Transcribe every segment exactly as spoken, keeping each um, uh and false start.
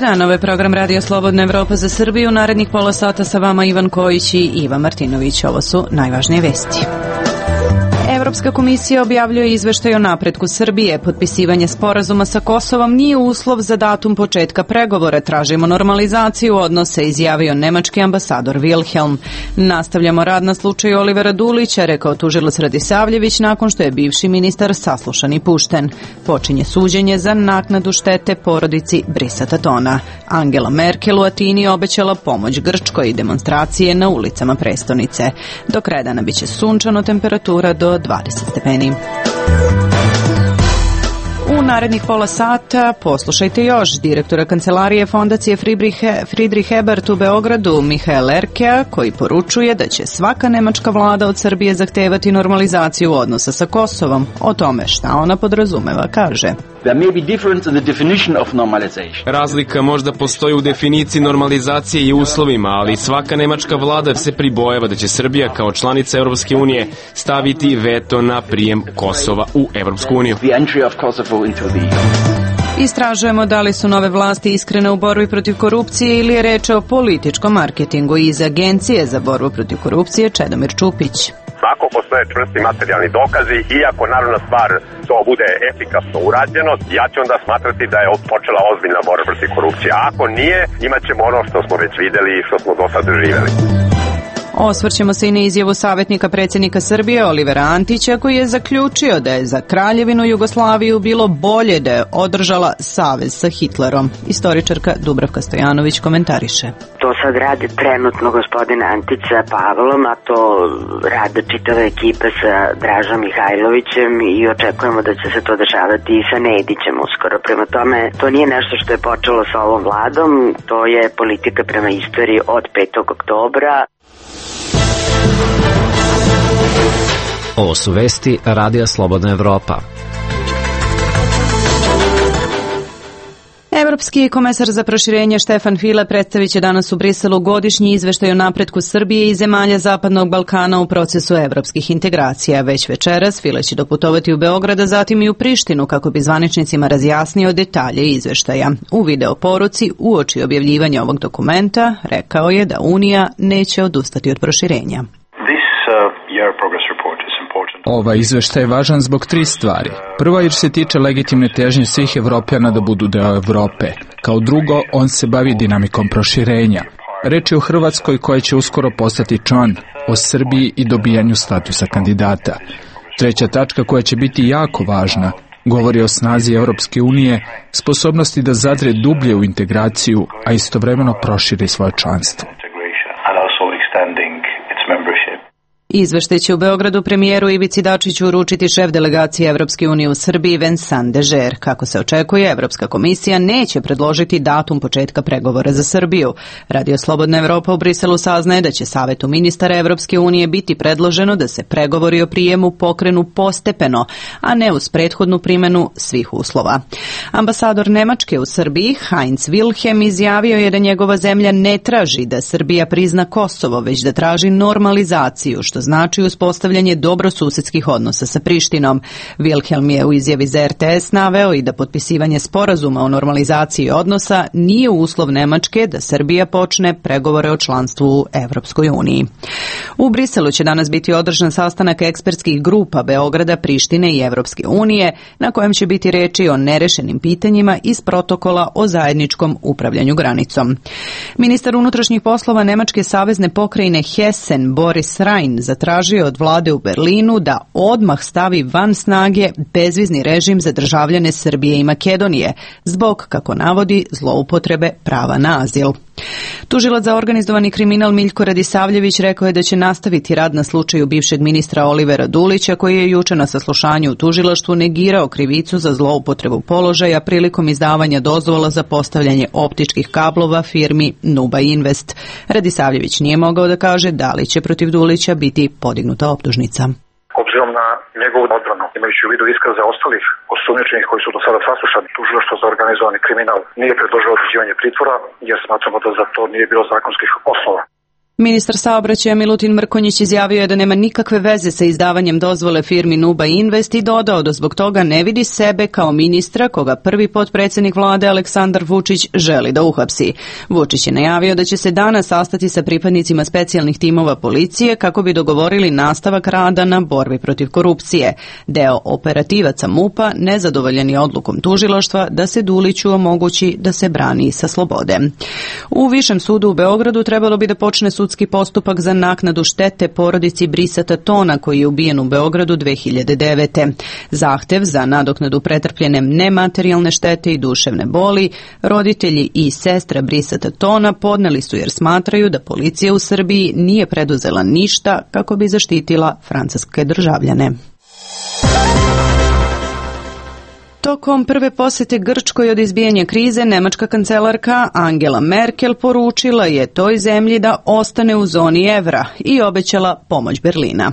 dan, ovo je program Radio Slobodna Evropa za Srbiju. Narednih pola sata sa vama Ivan Kojić i Iva Martinović. Ovo su najvažnije vesti. Evropska komisija objavljuje izveštaj o napretku Srbije. Potpisivanje sporazuma sa Kosovom nije uslov za datum početka pregovora. Tražimo normalizaciju odnosa, izjavio nemački ambasador Wilhelm. Nastavljamo rad na slučaju Olivera Dulića, rekao tužilac Radisavljević nakon što je bivši ministar saslušan i pušten. Počinje suđenje za naknadu štete porodici Brisa Tatona. Angela Merkel u Atini obećala pomoć Grčkoj i demonstracije na ulicama prestonice. Do kraja dana biće sunčano, temperatura do dvadeset stepeni. U narednih pola sata poslušajte još direktora kancelarije fondacije Friedrich Ebert u Beogradu, Mihael Erkea, koji poručuje da će svaka nemačka vlada od Srbije zahtevati normalizaciju odnosa sa Kosovom. O tome šta ona podrazumeva, kaže. Razlika možda postoji u definiciji normalizacije i uslovima, ali svaka nemačka vlada se pribojava da će Srbija kao članica Europske unije staviti veto na prijem Kosova u Europsku uniju. Istražujemo da li su nove vlasti iskrene u borbi protiv korupcije ili je reč o političkom marketingu. Iz Agencije za borbu protiv korupcije Čedomir Čupić. Ako postoje čvrsti materijalni dokazi i ako naravno stvar to bude efikasno urađeno, ja ću onda smatrati da je počela ozbiljna borba protiv korupcije. A ako nije, imat ćemo ono što smo već videli i što smo do sad doživjeli. Osvrćemo se i na izjavu savjetnika predsjednika Srbije Olivera Antića, koji je zaključio da je za Kraljevinu Jugoslaviju bilo bolje da je održala savez sa Hitlerom. Istoričarka Dubravka Stojanović komentariše. To sad radi trenutno gospodin Antić sa Pavlom, a to rade čitava ekipa sa Dražom Mihajlovićem i očekujemo da će se to dešavati i sa Nedićem uskoro. Prema tome, to nije nešto što je počelo sa ovom vladom, to je politika prema istoriji od petog oktobra. Ovo su vesti Radija Slobodna Evropa. Evropski komesar za proširenje Štefan File predstavit će danas u Briselu godišnji izveštaj o napretku Srbije i zemalja Zapadnog Balkana u procesu evropskih integracija. Već večeras File će doputovati u Beograd, a zatim i u Prištinu kako bi zvaničnicima razjasnio detalje izveštaja. U video poruci uoči objavljivanja ovog dokumenta rekao je da Unija neće odustati od proširenja. Ovaj izveštaj je važan zbog tri stvari. Prva, jer se tiče legitimne težnje svih Evropljana da budu deo Evrope. Kao drugo, on se bavi dinamikom proširenja. Reč je o Hrvatskoj koja će uskoro postati član, o Srbiji i dobijanju statusa kandidata. Treća tačka koja će biti jako važna govori o snazi Evropske unije, sposobnosti da zadre dublje u integraciju, a istovremeno proširi svoje članstvo. Izveštaj će u Beogradu premijeru Ivici Dačiću uručiti šef delegacije Evropske unije u Srbiji Vincent Dežer. Kako se očekuje, Evropska komisija neće predložiti datum početka pregovora za Srbiju. Radio Slobodna Evropa u Briselu saznaje da će Savetu ministara Evropske unije biti predloženo da se pregovori o prijemu pokrenu postepeno, a ne uz prethodnu primjenu svih uslova. Ambasador Nemačke u Srbiji, Heinz Wilhelm, izjavio je da njegova zemlja ne traži da Srbija prizna Kosovo, već da traži normalizaciju, što znači uspostavljanje dobrosusedskih odnosa sa Prištinom. Wilhelm je u izjavi za R T S naveo i da potpisivanje sporazuma o normalizaciji odnosa nije uslov Nemačke da Srbija počne pregovore o članstvu u Evropskoj uniji. U Briselu će danas biti održan sastanak ekspertskih grupa Beograda, Prištine i Evropske unije, na kojem će biti reči o nerešenim pitanjima iz protokola o zajedničkom upravljanju granicom. Ministar unutrašnjih poslova Nemačke savezne pokrajine Hessen, Boris Rhein, zatražio od vlade u Berlinu da odmah stavi van snage bezvizni režim za državljane Srbije i Makedonije, zbog, kako navodi, zloupotrebe prava na azil. Tužilac za organizovani kriminal Miljko Radisavljević rekao je da će nastaviti rad na slučaju bivšeg ministra Olivera Dulića, koji je juče na saslušanju u tužilaštvu negirao krivicu za zloupotrebu položaja prilikom izdavanja dozvola za postavljanje optičkih kablova firmi Nuba Invest. Radisavljević nije mogao da kaže da li će protiv Dulića biti podignuta optužnica. Obzirom na njegovu odbranu, imajući u vidu iskaze ostalih osumnjičenih koji su do sada saslušani, tužilaštvo za organizovani kriminal nije predložilo određivanje pritvora, jer smatramo da za to nije bilo zakonskih osnova. Ministar saobraćaja Milutin Mrkonjić izjavio je da nema nikakve veze sa izdavanjem dozvole firmi Nuba Invest i dodao da zbog toga ne vidi sebe kao ministra koga prvi potpredsjednik vlade Aleksandar Vučić želi da uhapsi. Vučić je najavio da će se danas sastati sa pripadnicima specijalnih timova policije kako bi dogovorili nastavak rada na borbi protiv korupcije. Deo operativaca MUP-a nezadovoljen je odlukom tužilaštva da se Duliću omogući da se brani sa slobode. U Višem sudu u Beogradu trebalo bi da počne sudski postupak za naknadu štete porodici Brisata Tona koji je ubijen u Beogradu dve hiljade devete. Zahtev za nadoknadu pretrpljene nematerijalne štete i duševne boli roditelji i sestra Brisata Tona podneli su jer smatraju da policija u Srbiji nije preduzela ništa kako bi zaštitila francuske državljane. Tokom prve posete Grčkoj od izbijanja krize, nemačka kancelarka Angela Merkel poručila je toj zemlji da ostane u zoni evra i obećala pomoć Berlina.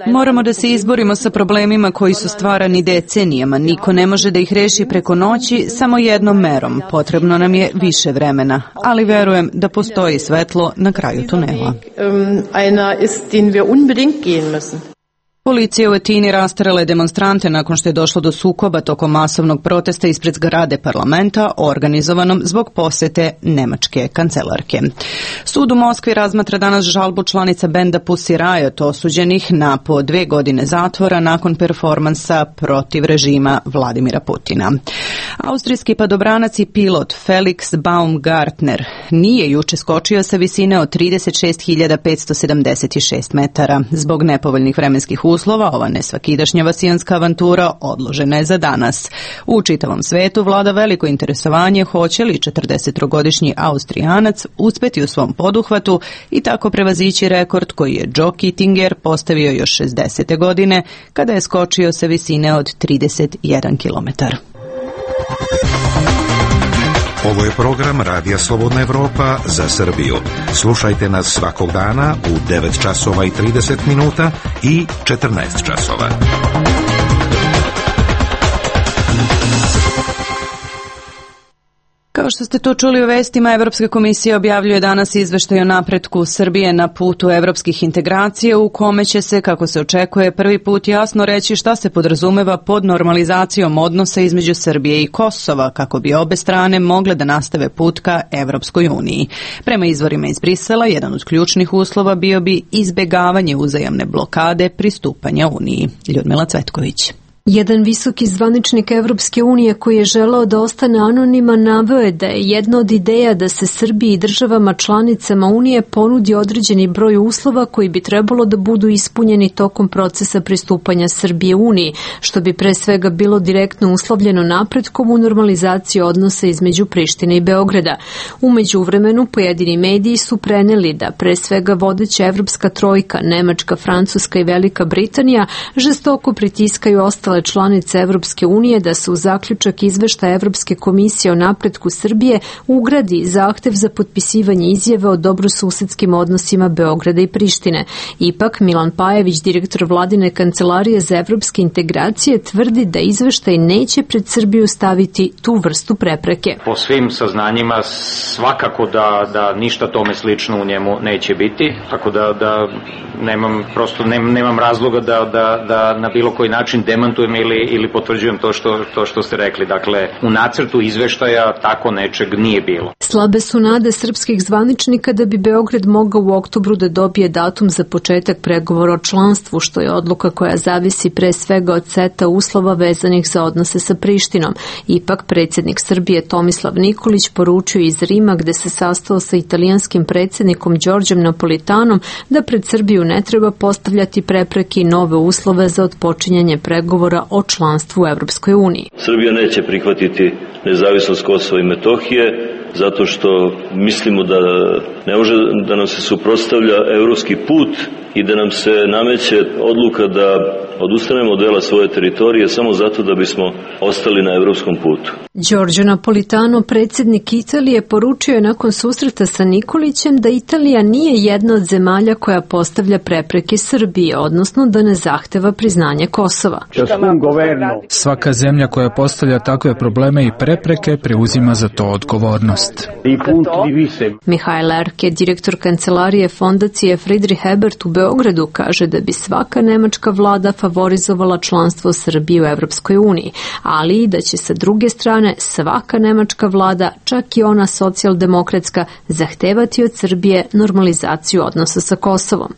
Moramo da se izborimo sa problemima koji su stvarani decenijama. Niko ne može da ih reši preko noći samo jednom merom. Potrebno nam je više vremena, ali verujem da postoji svetlo na kraju tunela. Policija u Atini rasterala je demonstrante nakon što je došlo do sukoba tokom masovnog protesta ispred zgrade parlamenta organizovanom zbog posete nemačke kancelarke. Sud u Moskvi razmatra danas žalbu članica benda Pussy Riot osuđenih na po dve godine zatvora nakon performansa protiv režima Vladimira Putina. Austrijski padobranac i pilot Felix Baumgartner nije juče skočio sa visine od trideset šest hiljada petsto sedamdeset šest metara. Zbog nepovoljnih vremenskih uslova, ova nesvakidašnja vasijanska avantura odložena je za danas. U čitavom svetu vlada veliko interesovanje hoće li četrdesettrogodišnji Austrijanac uspeti u svom poduhvatu i tako prevazići rekord koji je Joe Kittinger postavio još šezdesete godine kada je skočio sa visine od trideset jedan kilometar. Ovo je program Radija Slobodna Evropa za Srbiju. Slušajte nas svakog dana u devet časova i trideset minuta i četrnaest časova. Kao što ste to čuli u vestima, Evropska komisija objavljuje danas izveštaj o napretku Srbije na putu evropskih integracija u kome će se, kako se očekuje, prvi put jasno reći šta se podrazumeva pod normalizacijom odnosa između Srbije i Kosova, kako bi obe strane mogle da nastave put ka Evropskoj uniji. Prema izvorima iz Brisela, jedan od ključnih uslova bio bi izbegavanje uzajamne blokade pristupanja Uniji. Ljudmila Cvetković. Jedan visoki zvaničnik Evropske unije koji je želeo da ostane anoniman naveo je da je jedna od ideja da se Srbiji i državama članicama Unije ponudi određeni broj uslova koji bi trebalo da budu ispunjeni tokom procesa pristupanja Srbije Uniji, što bi pre svega bilo direktno uslovljeno napretkom u normalizaciji odnosa između Prištine i Beograda. U međuvremenu pojedini mediji su preneli da pre svega vodeća evropska trojka, Nemačka, Francuska i Velika Britanija žestoko pritiskaju ostale članice Evropske unije da se u zaključak izveštaja Evropske komisije o napretku Srbije ugradi zahtev za potpisivanje izjave o dobrosusedskim odnosima Beograda i Prištine. Ipak, Milan Pajević, direktor vladine kancelarije za evropske integracije, tvrdi da izveštaj neće pred Srbiju staviti tu vrstu prepreke. Po svim saznanjima svakako da, da ništa tome slično u njemu neće biti, tako da, da nemam, prosto nemam, nemam razloga da, da, da na bilo koji način demantujem ili, ili potvrđujem to što, to što ste rekli. Dakle, u nacrtu izveštaja tako nečeg nije bilo. Slabe su nade srpskih zvaničnika da bi Beograd mogao u oktobru da dobije datum za početak pregovora o članstvu, što je odluka koja zavisi pre svega od seta uslova vezanih za odnose sa Prištinom. Ipak, predsjednik Srbije Tomislav Nikolić poručio iz Rima, gde se sastao sa italijanskim predsjednikom Đorđem Napolitanom, da pred Srbiju ne treba postavljati prepreke i nove uslove za otpočinjanje pregovora o članstvu u Evropskoj uniji. Srbija neće prihvatiti nezavisnost Kosova i Metohije zato što mislimo da ne može da nam se suprotstavlja evropski put i da nam se nameće odluka da odustanemo od dela svoje teritorije samo zato da bismo ostali na evropskom putu. Giorgio Napolitano, predsjednik Italije, poručio je nakon susreta sa Nikolićem da Italija nije jedna od zemalja koja postavlja prepreke Srbiji, odnosno da ne zahteva priznanje Kosova. Svaka zemlja koja postavlja takve probleme i prepreke preuzima za to odgovornost. Mihajl Erke, direktor kancelarije fondacije Friedrich Ebert u Beogradu, kaže da bi svaka nemačka vlada favorizovala članstvo Srbije u Evropskoj uniji, ali i da će sa druge strane svaka nemačka vlada, čak i ona socijaldemokratska, zahtevati od Srbije normalizaciju odnosa sa Kosovom.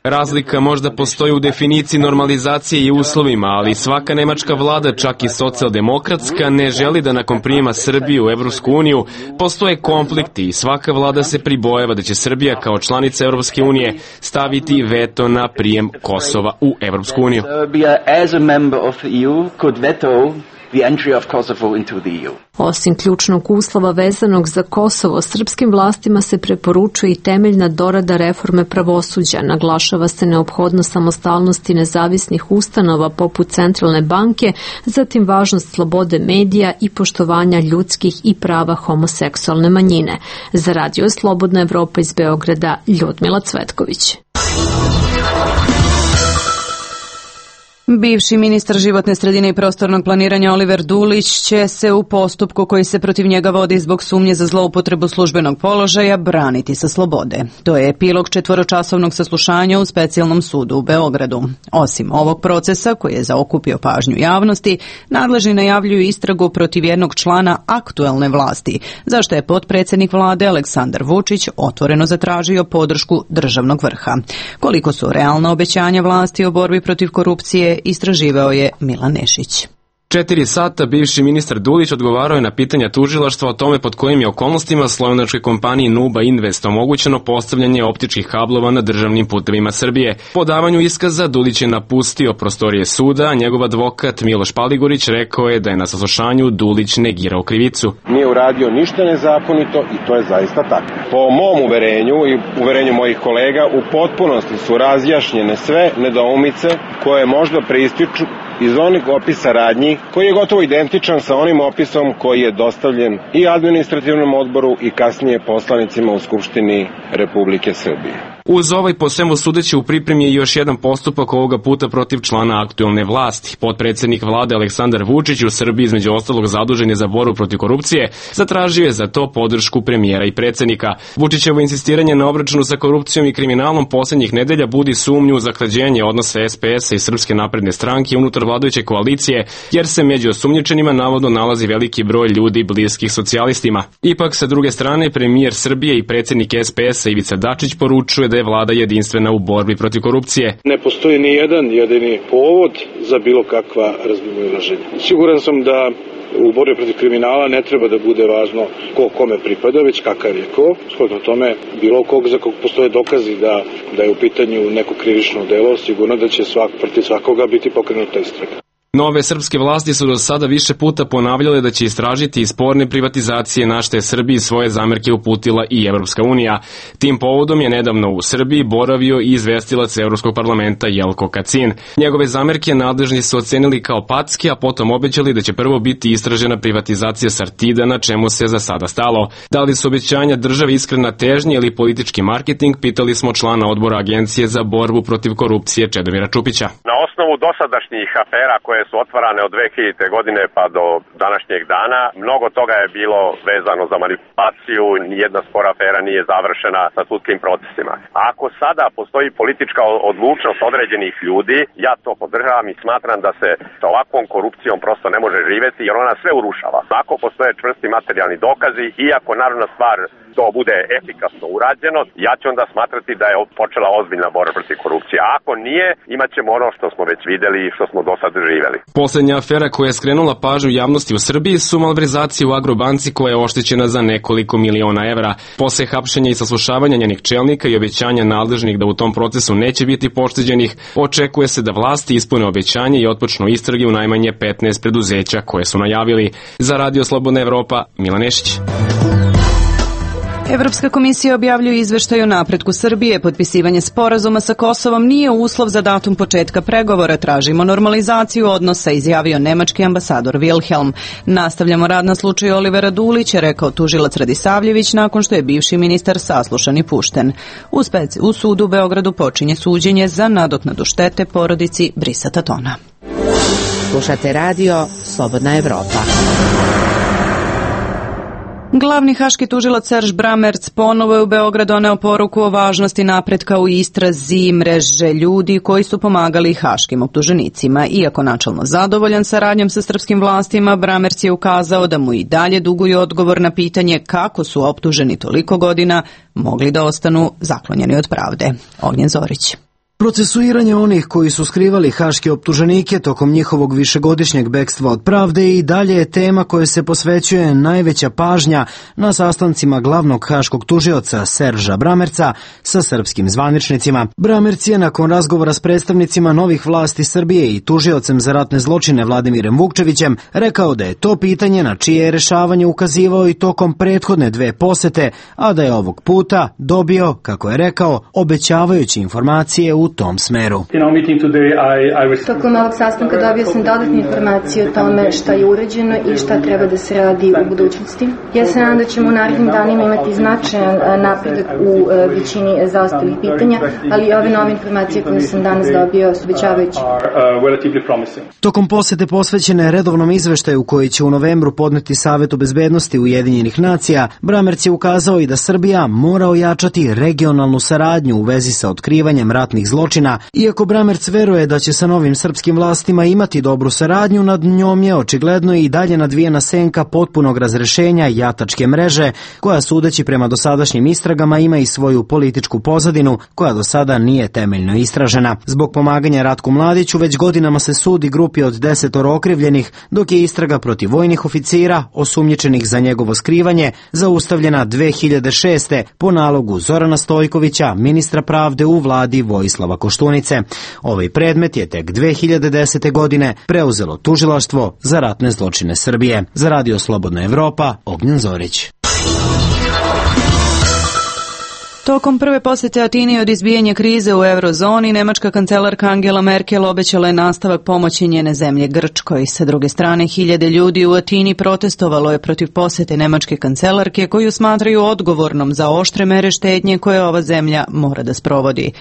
Razlika možda postoji u definiciji normalizacije i uslovima, ali svaka nemačka vlada, čak i socijaldemokratska, ne želi da nakon prijema Srbije u Evropsku uniju postoje konflikti i svaka vlada se pribojava da će Srbija kao članica Evropske unije staviti veto na prijem Kosova u Evropsku uniju. Osim ključnog uslova vezanog za Kosovo, srpskim vlastima se preporučuje i temeljna dorada reforme pravosuđa. Naglašava se neophodnost samostalnosti nezavisnih ustanova poput Centralne banke, zatim važnost slobode medija i poštovanja ljudskih i prava homoseksualne manjine. Za Radio Slobodna Evropa iz Beograda, Ljudmila Cvetković. Bivši ministar životne sredine i prostornog planiranja Oliver Dulić će se u postupku koji se protiv njega vodi zbog sumnje za zloupotrebu službenog položaja braniti sa slobode. To je epilog četvoročasovnog saslušanja u specijalnom sudu u Beogradu. Osim ovog procesa koji je zaokupio pažnju javnosti, nadležni najavljuju istragu protiv jednog člana aktuelne vlasti, zašto je potpredsjednik vlade Aleksandar Vučić otvoreno zatražio podršku državnog vrha. Koliko su realna obećanja vlasti o borbi protiv korupcije, istraživao je Milan Nešić. Četiri sata bivši ministar Dulić odgovarao je na pitanja tužilaštva o tome pod kojim je okolnostima slovenačkoj kompaniji Nuba Invest omogućeno postavljanje optičkih kablova na državnim putevima Srbije. Po davanju iskaza Dulić je napustio prostorije suda, a njegov advokat Miloš Paligurić rekao je da je na saslušanju Dulić negirao krivicu. Nije uradio ništa nezakonito i to je zaista tako. Po mom uverenju i uverenju mojih kolega u potpunosti su razjašnjene sve nedoumice koje možda preističu iz onih opisa radnji koji je gotovo identičan sa onim opisom koji je dostavljen i administrativnom odboru i kasnije poslanicima u Skupštini Republike Srbije. Uz ovaj po svemu sudeći u pripremi je još jedan postupak ovoga puta protiv člana aktuelne vlasti. Potpredsjednik vlade Aleksandar Vučić u Srbiji između ostalog zadužen je za borbu protiv korupcije, zatražio je za to podršku premijera i predsjednika. Vučićevo insistiranje na obračunu sa korupcijom i kriminalom posljednjih nedelja budi sumnju u zahlađenje odnosa es pe esa i Srpske napredne stranke unutar vladajuće koalicije, jer se među osumnjičenima navodno nalazi veliki broj ljudi bliskih socijalistima. Ipak, sa druge strane, premijer Srbije i predsjednik es pe esa Ivica Dačić poručuje da je vlada jedinstvena u borbi protiv korupcije. Ne postoji ni jedan jedini povod za bilo kakva razmimoilaženja. Siguran sam da u borbi protiv kriminala ne treba da bude važno ko kome pripada, već kakav je ko. Shodno tome, bilo kog za kog postoje dokazi da, da je u pitanju neko krivično delo, sigurno da će svak, protiv svakoga biti pokrenuta istraga. Nove srpske vlasti su do sada više puta ponavljale da će istražiti i sporne privatizacije, na što je Srbiji svoje zamerke uputila i Evropska unija. Tim povodom je nedavno u Srbiji boravio i izvestilac Evropskog parlamenta Jelko Kacin. Njegove zamerke nadležni su ocenili kao packe, a potom obećali da će prvo biti istražena privatizacija Sartida, na čemu se za sada stalo. Da li su obećanja države iskrena težnja ili politički marketing, pitali smo člana odbora Agencije za borbu protiv korupcije Čedomira Čupića. Na osnovu dosadašnjih afera koje su otvarane od dve hiljadite godine pa do današnjeg dana, mnogo toga je bilo vezano za manipulaciju, nijedna spora afera nije završena sa sudskim procesima. A ako sada postoji politička odlučnost određenih ljudi, ja to podržavam i smatram da se sa ovakvom korupcijom prosto ne može živeti, jer ona sve urušava. Ako postoje čvrsti materijalni dokazi i ako naravna stvar to bude efikasno urađeno, ja ću onda smatrati da je počela ozbiljna borba protiv korupcije. A ako nije, imat ćemo ono što smo već videli i što smo do sad živeli. Poslednja afera koja je skrenula pažnju javnosti u Srbiji su malverzacije u Agrobanci koja je oštećena za nekoliko miliona evra. Posle hapšenja i saslušavanja njenih čelnika i obećanja nadležnih da u tom procesu neće biti pošteđenih, očekuje se da vlasti ispune obećanje i otpočnu istrage u najmanje petnaest preduzeća koje su najavili. Za Radio Slobodna Evropa, Milan Nešić. Evropska komisija objavljuje izveštaj o napretku Srbije. Potpisivanje sporazuma sa Kosovom nije uslov za datum početka pregovora. Tražimo normalizaciju odnosa, izjavio nemački ambasador Wilhelm. Nastavljamo rad na slučaju Olivera Dulića, rekao tužilac Radisavljević nakon što je bivši ministar saslušan i pušten. U, speci, u sudu u Beogradu počinje suđenje za nadoknadu štete porodici Brisa Tatona. Slušate radio Slobodna Evropa. Glavni haški tužilac Serž Bramerc ponovo je u Beograd doneo poruku o važnosti napretka u istrazi mreže ljudi koji su pomagali haškim optuženicima. Iako načelno zadovoljan saradnjom sa srpskim vlastima, Bramerc je ukazao da mu i dalje duguju odgovor na pitanje kako su optuženi toliko godina mogli da ostanu zaklonjeni od pravde. Ognjen Zorić. Procesuiranje onih koji su skrivali haške optuženike tokom njihovog višegodišnjeg bekstva od pravde i dalje je tema koje se posvećuje najveća pažnja na sastancima glavnog haškog tužioca Serža Bramerca sa srpskim zvaničnicima. Bramerc je nakon razgovora s predstavnicima novih vlasti Srbije i tužiocem za ratne zločine Vladimirem Vukčevićem rekao da je to pitanje na čije je rešavanje ukazivao i tokom prethodne dve posete, a da je ovog puta dobio, kako je rekao, obećavajuće informacije u tom smeru. Tokom ovog sastanka dobio sam dodatne informacije o tome šta je urađeno i šta treba da se radi u budućnosti. Ja se nadam da ćemo u narednim danima imati značajan napredak u većini zaostalih pitanja, ali ove nove informacije koje sam danas dobio su obećavajuće. Tokom posete posvećene redovnom izveštaju koji će u novembru podneti Savetu bezbednosti Ujedinjenih nacija, Bramerc je ukazao i da Srbija mora ojačati regionalnu saradnju u vezi sa otkrivanjem ratnih zločina. Iako Bramerc veruje da će sa novim srpskim vlastima imati dobru saradnju, nad njom je očigledno i dalje nadvijena senka potpunog razrešenja jatačke mreže, koja sudeći prema dosadašnjim istragama ima i svoju političku pozadinu, koja do sada nije temeljno istražena. Zbog pomaganja Ratku Mladiću već godinama se sudi grupi od desetoro okrivljenih, dok je istraga protiv vojnih oficira, osumnjičenih za njegovo skrivanje, zaustavljena dve hiljade šeste. po nalogu Zorana Stojkovića, ministra pravde u vladi Vojislava Koštunice. Ovaj predmet je tek dve hiljade desete. godine preuzelo tužilaštvo za ratne zločine Srbije. Za radio Slobodna Evropa, Ognjen Zorić. Tokom prve posete Atini od izbijanja krize u eurozoni, nemačka kancelarka Angela Merkel obećala je nastavak pomoći njene zemlje Grčkoj. Sa druge strane, hiljade ljudi u Atini protestovalo je protiv posete nemačke kancelarke koju smatraju odgovornom za oštre mere štednje koje ova zemlja mora da sprovodi.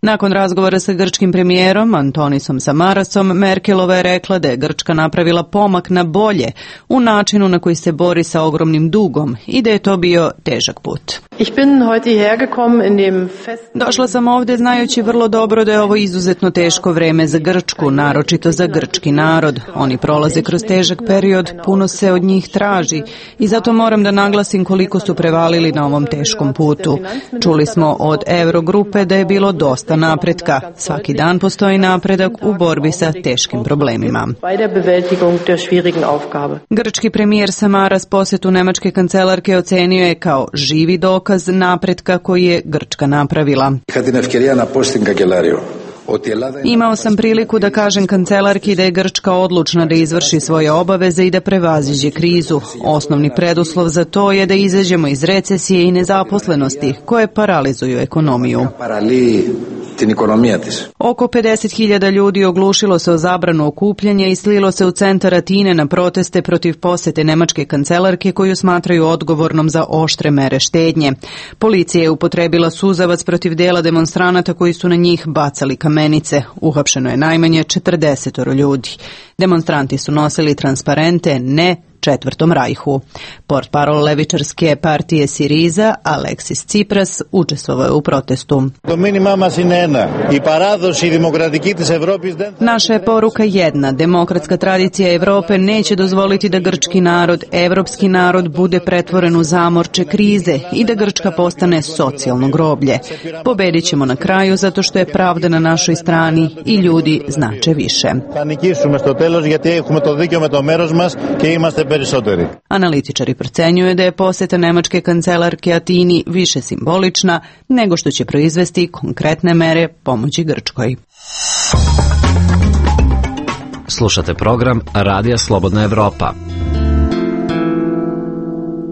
Nakon razgovora sa grčkim premijerom Antonisom Samarasom, Merkelova je rekla da je Grčka napravila pomak na bolje u načinu na koji se bori sa ogromnim dugom i da je to bio težak put. Došla sam ovdje znajući vrlo dobro da je ovo izuzetno teško vreme za Grčku, naročito za grčki narod. Oni prolaze kroz težak period, puno se od njih traži i zato moram da naglasim koliko su prevalili na ovom teškom putu. Čuli smo od Eurogrupe da je bilo dosta napretka. Svaki dan postoji napredak u borbi sa teškim problemima. Grčki premijer Samaras posjetu nemačke kancelarke ocenio je kao živi dokaz napretka koji je Grčka napravila. Imao sam priliku da kažem kancelarki da je Grčka odlučna da izvrši svoje obaveze i da prevaziđe krizu. Osnovni preduslov za to je da izađemo iz recesije i nezaposlenosti koje paralizuju ekonomiju. Oko pedeset hiljada ljudi oglušilo se o zabranu okupljanja i slilo se u centar Atine na proteste protiv posete nemačke kancelarke koju smatraju odgovornom za oštre mere štednje. Policija je upotrebila suzavac protiv dela demonstranata koji su na njih bacali kamenice. Uhapšeno je najmanje četrdesetoro ljudi. Demonstranti su nosili transparente ne Četvrtom rajhu. Portparol levičarske partije Siriza, Aleksis Tsipras, učestvovao je u protestu. Naša je poruka jedna. Demokratska tradicija Evrope neće dozvoliti da grčki narod, evropski narod, bude pretvoren u zamorče krize i da Grčka postane socijalno groblje. Pobedit ćemo na kraju zato što je pravda na našoj strani i ljudi znače više. Analitičari procenjuju da je poseta nemačke kancelarke Atini više simbolična nego što će proizvesti konkretne mere pomoći Grčkoj. Slušate program Radija Slobodna Evropa.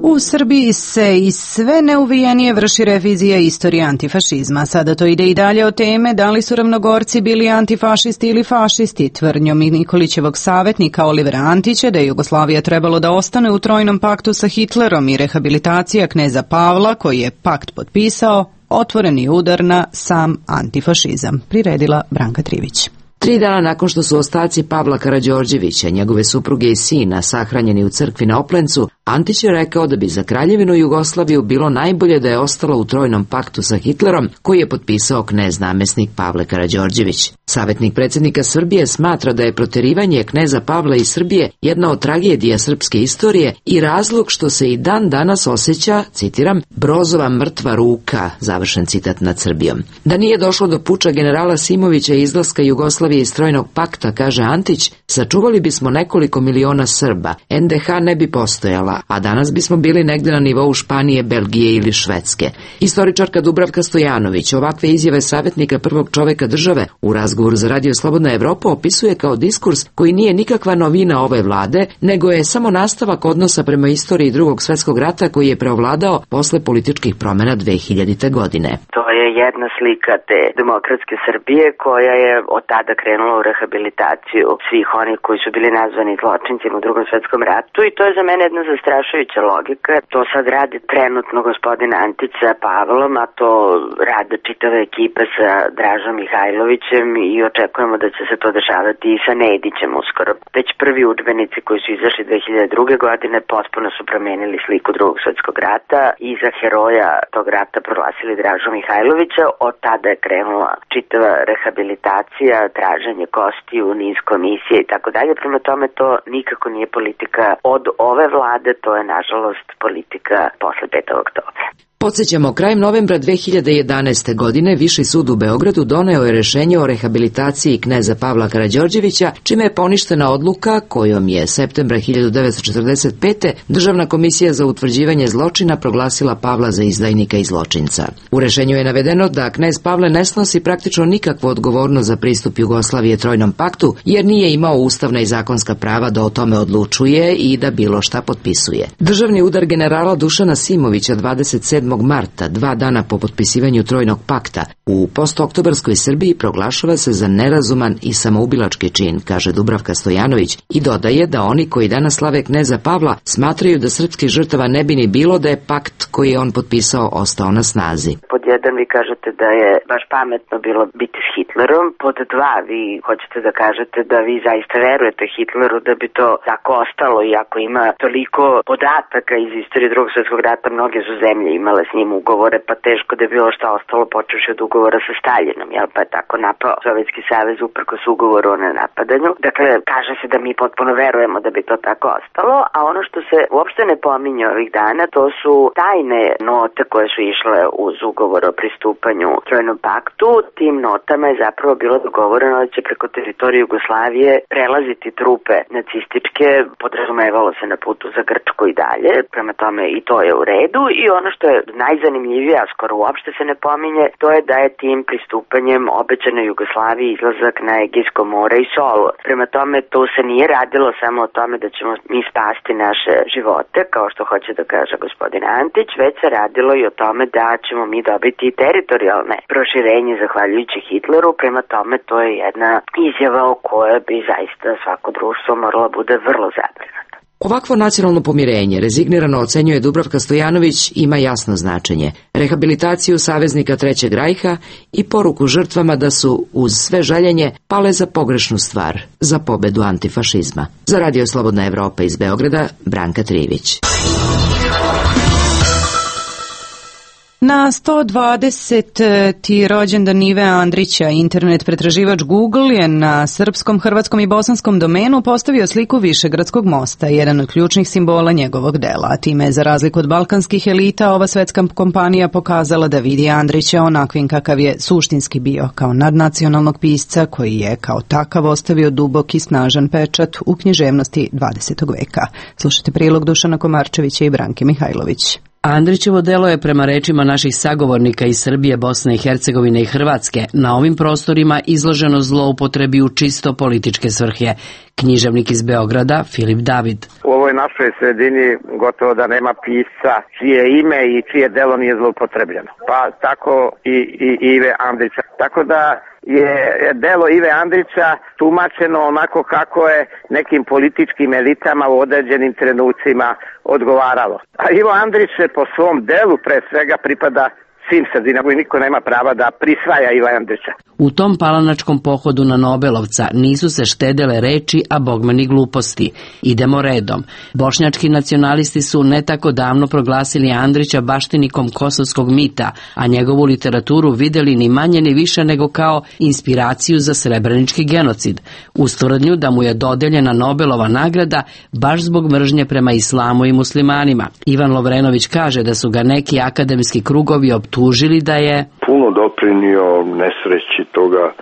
U Srbiji se i sve neuvijenije vrši revizija istorije antifašizma. Sada to ide i dalje od teme da li su Ravnogorci bili antifašisti ili fašisti. Tvrdnjom Nikolićevog savjetnika Olivera Antića da je Jugoslavija trebalo da ostane u trojnom paktu sa Hitlerom i rehabilitacija kneza Pavla, koji je pakt potpisao, otvoreni udar na sam antifašizam, priredila Branka Trivić. Tri dana nakon što su ostaci Pavla Karađorđevića, njegove supruge i sina, sahranjeni u crkvi na Oplencu, Antić je rekao da bi za Kraljevinu Jugoslaviju bilo najbolje da je ostala u trojnom paktu sa Hitlerom, koji je potpisao knez namesnik Pavle Karađorđević. Savjetnik predsjednika Srbije smatra da je proterivanje kneza Pavla iz Srbije jedna od tragedija srpske istorije i razlog što se i dan danas osjeća, citiram, Brozova mrtva ruka, završen citat nad Srbijom. Da nije došlo do puča generala Simovića i izlaska Jugoslavije iz trojnog pakta, kaže Antić, sačuvali bismo nekoliko miliona Srba, en de ha ne bi postojala, a danas bismo bili negde na nivou Španije, Belgije ili Švedske. Istoričarka Dubravka Stojanović ovakve izjave savjetnika prvog čoveka države u razgovoru za Radio Slobodna Evropa opisuje kao diskurs koji nije nikakva novina ove vlade, nego je samo nastavak odnosa prema istoriji drugog svjetskog rata koji je preovladao posle političkih promjena dve hiljadite. godine. To je jedna slika te demokratske Srbije koja je od tada krenula u rehabilitaciju svih onih koji su bili nazvani zločincima u drugom svjetskom ratu i to je za mene jedna zastrašujuća logika. To sad radi trenutno gospodin Antić sa Pavlom, a to rade čitave ekipe sa Dražom Mihajlovićem i očekujemo da će se to dešavati i sa Nedićem uskoro. Već prvi udžbenici koji su izašli dve hiljade druge. godine potpuno su promijenili sliku drugog svjetskog rata i za heroja tog rata proglasili Dražu Mihajlovića. Od tada je krenula čitava rehabilitacija, traženje kostiju, niz komisije i tako dalje. Prema tome to nikako nije politika od ove vlade, to je nažalost politika posle petog oktobra. Podsjećamo, krajem novembra dve hiljade jedanaeste. godine Viši sud u Beogradu doneo je rešenje o rehabilitaciji kneza Pavla Karađorđevića, čime je poništena odluka kojom je septembra hiljadu devetsto četrdeset pete. Državna komisija za utvrđivanje zločina proglasila Pavla za izdajnika i zločinca. U rešenju je navedeno da knez Pavle ne snosi praktično nikakvu odgovornost za pristup Jugoslavije trojnom paktu, jer nije imao ustavna i zakonska prava da o tome odlučuje i da bilo šta potpisuje. Državni udar generala Dušana Simovića dvadeset sedmog marta, dva dana po potpisivanju trojnog pakta, u postoktobarskoj Srbiji proglašava se za nerazuman i samoubilački čin, kaže Dubravka Stojanović i dodaje da oni koji danas slave kneza Pavla smatraju da srpskih žrtava ne bi ni bilo da je pakt koji je on potpisao ostao na snazi. Pod jedan vi kažete da je baš pametno bilo biti s Hitlerom, pod dva vi hoćete da kažete da vi zaista verujete Hitleru da bi to tako ostalo i ako ima toliko podataka iz istorije drugog svjetskog rata, mnoge su zemlje imale s njim ugovore, pa teško da je bilo šta ostalo počevši od ugovora sa Staljinom, jel, pa je tako napao Sovjetski savez uprkos ugovoru o nenapadanju. Dakle, kaže se da mi potpuno verujemo da bi to tako ostalo, a ono što se uopšte ne pominje ovih dana, to su tajne note koje su išle uz ugovor o pristupanju trojnom paktu. Tim notama je zapravo bilo dogovoreno da će preko teritorije Jugoslavije prelaziti trupe nacističke, podrazumevalo se na putu za Grčku i dalje, prema tome i to je u redu i ono što je najzanimljivije, a skoro uopšte se ne pominje, to je da je tim pristupanjem obećano Jugoslaviji izlazak na Egejsko more i Solu. Prema tome, to se nije radilo samo o tome da ćemo mi spasti naše živote, kao što hoće da kaže gospodin Antić, već se radilo i o tome da ćemo mi dobiti i teritorijalne proširenje zahvaljujući Hitleru. Prema tome, to je jedna izjava o kojoj bi zaista svako društvo moralo bude vrlo zabrinuto. Ovakvo nacionalno pomirenje, rezignirano ocenjuje Dubravka Stojanović, ima jasno značenje. Rehabilitaciju saveznika Trećeg rajha i poruku žrtvama da su, uz sve žaljenje, pale za pogrešnu stvar, za pobedu antifašizma. Za Radio Slobodna Evropa iz Beograda, Branka Trivić. Na sto dvadeseti rođendan Ive Andrića, internet pretraživač Google je na srpskom, hrvatskom i bosanskom domenu postavio sliku Višegradskog mosta, jedan od ključnih simbola njegovog dela. A time je, za razliku od balkanskih elita, ova svetska kompanija pokazala da vidi Andrića onakvim kakav je suštinski bio, kao nadnacionalnog pisca koji je kao takav ostavio dubok i snažan pečat u književnosti dvadesetog veka. Slušajte prilog Dušana Komarčevića i Branke Mihajlović. Andrićevo delo je, prema rečima naših sagovornika iz Srbije, Bosne i Hercegovine i Hrvatske, na ovim prostorima izloženo zloupotrebi u čisto političke svrhe. Književnik iz Beograda, Filip David. U ovoj našoj sredini gotovo da nema pisca čije ime i čije delo nije zloupotrebljeno. Pa tako i, i Ive Andrića. Tako da je delo Ive Andrića tumačeno onako kako je nekim političkim elitama u određenim trenucima odgovaralo. A Ivo Andrić po svom delu pre svega pripada svim sredinama i niko nema prava da prisvaja Iva Andrića. U tom palanačkom pohodu na Nobelovca nisu se štedele reči, a bogme ni gluposti. Idemo redom. Bošnjački nacionalisti su ne tako davno proglasili Andrića baštinikom kosovskog mita, a njegovu literaturu videli ni manje ni više nego kao inspiraciju za srebrenički genocid, uz tvrdnju da mu je dodeljena Nobelova nagrada baš zbog mržnje prema islamu i muslimanima. Ivan Lovrenović kaže da su ga neki akademski krugovi optužili da je puno doprinio nesreći toga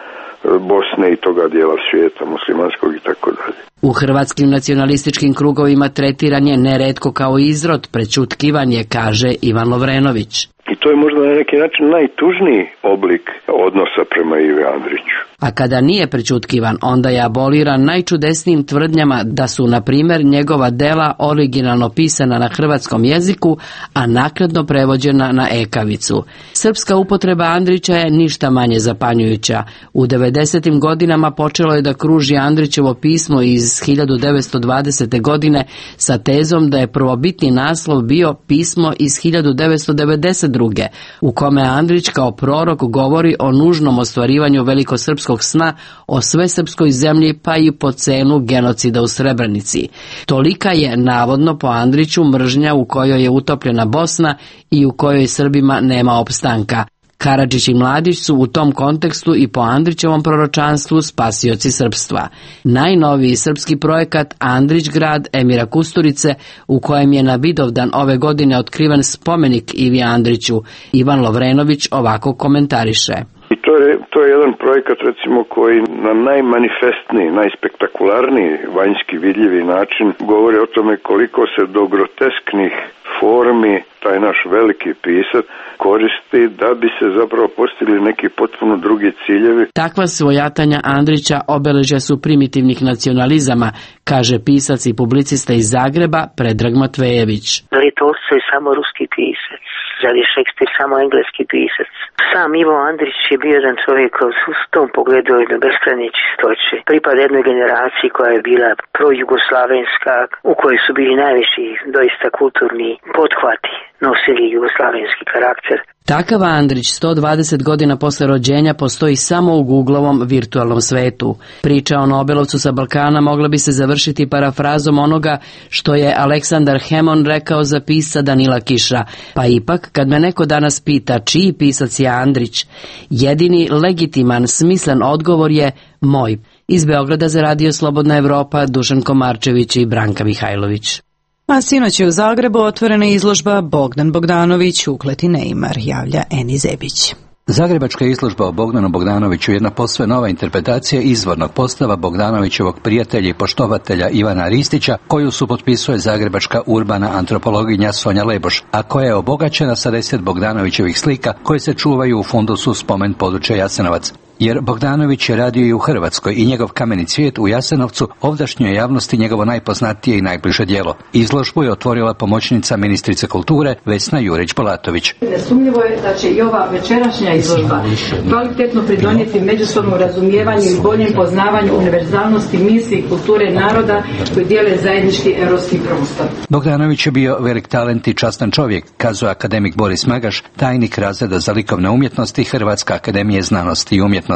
Bosne i toga dijela svijeta muslimanskog i tako dalje. U hrvatskim nacionalističkim krugovima tretiran je neretko kao izrod, prećutkivanje, kaže Ivan Lovrenović. I to je možda na neki način najtužniji oblik odnosa prema Ivi Andriću. A kada nije prećutkivan, onda je aboliran najčudesnijim tvrdnjama da su, na primjer, njegova dela originalno pisana na hrvatskom jeziku, a naknadno prevođena na ekavicu. Srpska upotreba Andrića je ništa manje zapanjujuća. U devedesetim godinama počelo je da kruži Andrićevo pismo iz hiljadu devetsto dvadesete. godine sa tezom da je prvobitni naslov bio pismo iz hiljadu devetsto devedeset druge. u kome Andrić kao prorok govori o nužnom ostvarivanju velikosrpskog sna o svesrpskoj zemlji, pa i po cenu genocida u Srebrenici. Tolika je, navodno po Andriću, mržnja u kojoj je utopljena Bosna i u kojoj Srbima nema opstanka. Karadžić i Mladić su u tom kontekstu i po Andrićevom proročanstvu spasioci srpstva. Najnoviji srpski projekat Andrić grad Emira Kusturice, u kojem je na Vidovdan ove godine otkriven spomenik Ivi Andriću, Ivan Lovrenović ovako komentariše. I to je, to je jedan projekat, recimo, koji na najmanifestniji, najspektakularniji vanjski vidljivi način govori o tome koliko se do grotesknih formi taj naš veliki pisac koristi da bi se zapravo postigli neki potpuno drugi ciljevi. Takva svojatanja Andrića obeležja su primitivnih nacionalizama, kaže pisac i publicista iz Zagreba Predrag Matvejević. Da li Tolstoj samo ruski pisac? Da li je Šekspir samo engleski pisac? Sam Ivo Andrić je bio jedan čovjek u tom pogledu jedno beskrajne čistoće. Pripada jednoj generaciji koja je bila projugoslavenska, u kojoj su bili najviši doista kulturni pothvati, nosili jugoslavenski karakter. Takav Andrić sto dvadeset godina posle rođenja postoji samo u Googlovom virtualnom svetu. Priča o Nobelovcu sa Balkana mogla bi se završiti parafrazom onoga što je Aleksandar Hemon rekao za pisca Danila Kiša. Pa ipak, kad me neko danas pita čiji pisac je Andrić, jedini legitiman, smislen odgovor je moj. Iz Beograda za Radio Slobodna Evropa, Dušan Komarčević i Branka Mihajlović. A sinoć je u Zagrebu otvorena izložba Bogdan Bogdanović, ukleti Neymar, javlja Eni Zebić. Zagrebačka izložba o Bogdanu Bogdanoviću je jedna posve nova interpretacija izvornog postava Bogdanovićevog prijatelja i poštovatelja Ivana Ristića, koju su potpisuje zagrebačka urbana antropologinja Sonja Leboš, a koja je obogaćena sa deset Bogdanovićevih slika koje se čuvaju u fundusu Spomen područja Jasenovac. Jer Bogdanović je radio i u Hrvatskoj i njegov Kameni cvijet u Jasenovcu ovdašnjoj javnosti njegovo najpoznatije i najbliže djelo. Izložbu je otvorila pomoćnica ministrice kulture Vesna Jurić-Bolatović. Nesumnjivo je da će i ova večerašnja izložba kvalitetno pridonijeti međusobnom razumijevanju i boljem poznavanju univerzalnosti misli i kulture naroda koji dijele zajednički europski prostor. Bogdanović je bio velik talent i častan čovjek, kazuje akademik Boris Magaš, tajnik razreda za likovne umjetnosti Hrvatske akademije znanosti i umjetnosti.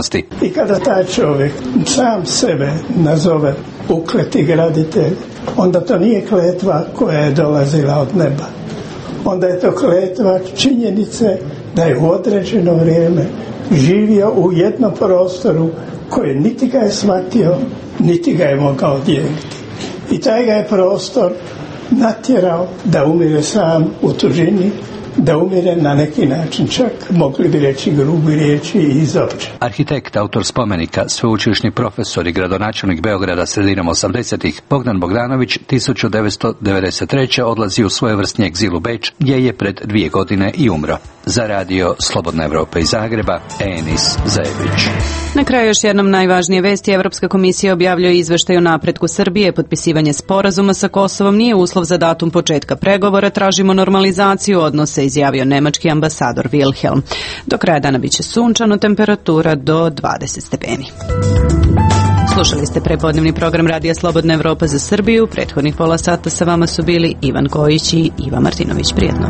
I kada taj čovjek sam sebe nazove ukleti graditelj, onda to nije kletva koja je dolazila od neba. Onda je to kletva činjenice da je u određeno vrijeme živio u jednom prostoru koji niti ga je shvatio, niti ga je mogao dijeliti. I taj ga je prostor natjerao da umire sam u tužini, da umire na neki način, čak mogli bi reći grubi riječi i izopće. Arhitekt, autor spomenika, sveučilišni profesor i gradonačelnik Beograda sredinom osamdesetih Bogdan Bogdanović tisuću devetsto devedeset treće odlazi u svojevrsni egzil u Beč, gdje je pred dvije godine i umro. Za radio Slobodna Evropa iz Zagreba, Enis Zajević. Na kraju još jednom najvažnije vesti. Evropska komisija objavljuje izveštaj o napretku Srbije. Potpisivanje sporazuma sa Kosovom nije uslov za datum početka pregovora. Tražimo normalizaciju odnosa, izjavio nemački ambasador Wilhelm. Do kraja dana biće sunčano, temperatura do dvadeset stepeni. Slušali ste prepodnevni program Radija Slobodna Evropa za Srbiju. Prethodnih pola sata sa vama su bili Ivan Kojić i Iva Martinović. Prijetno.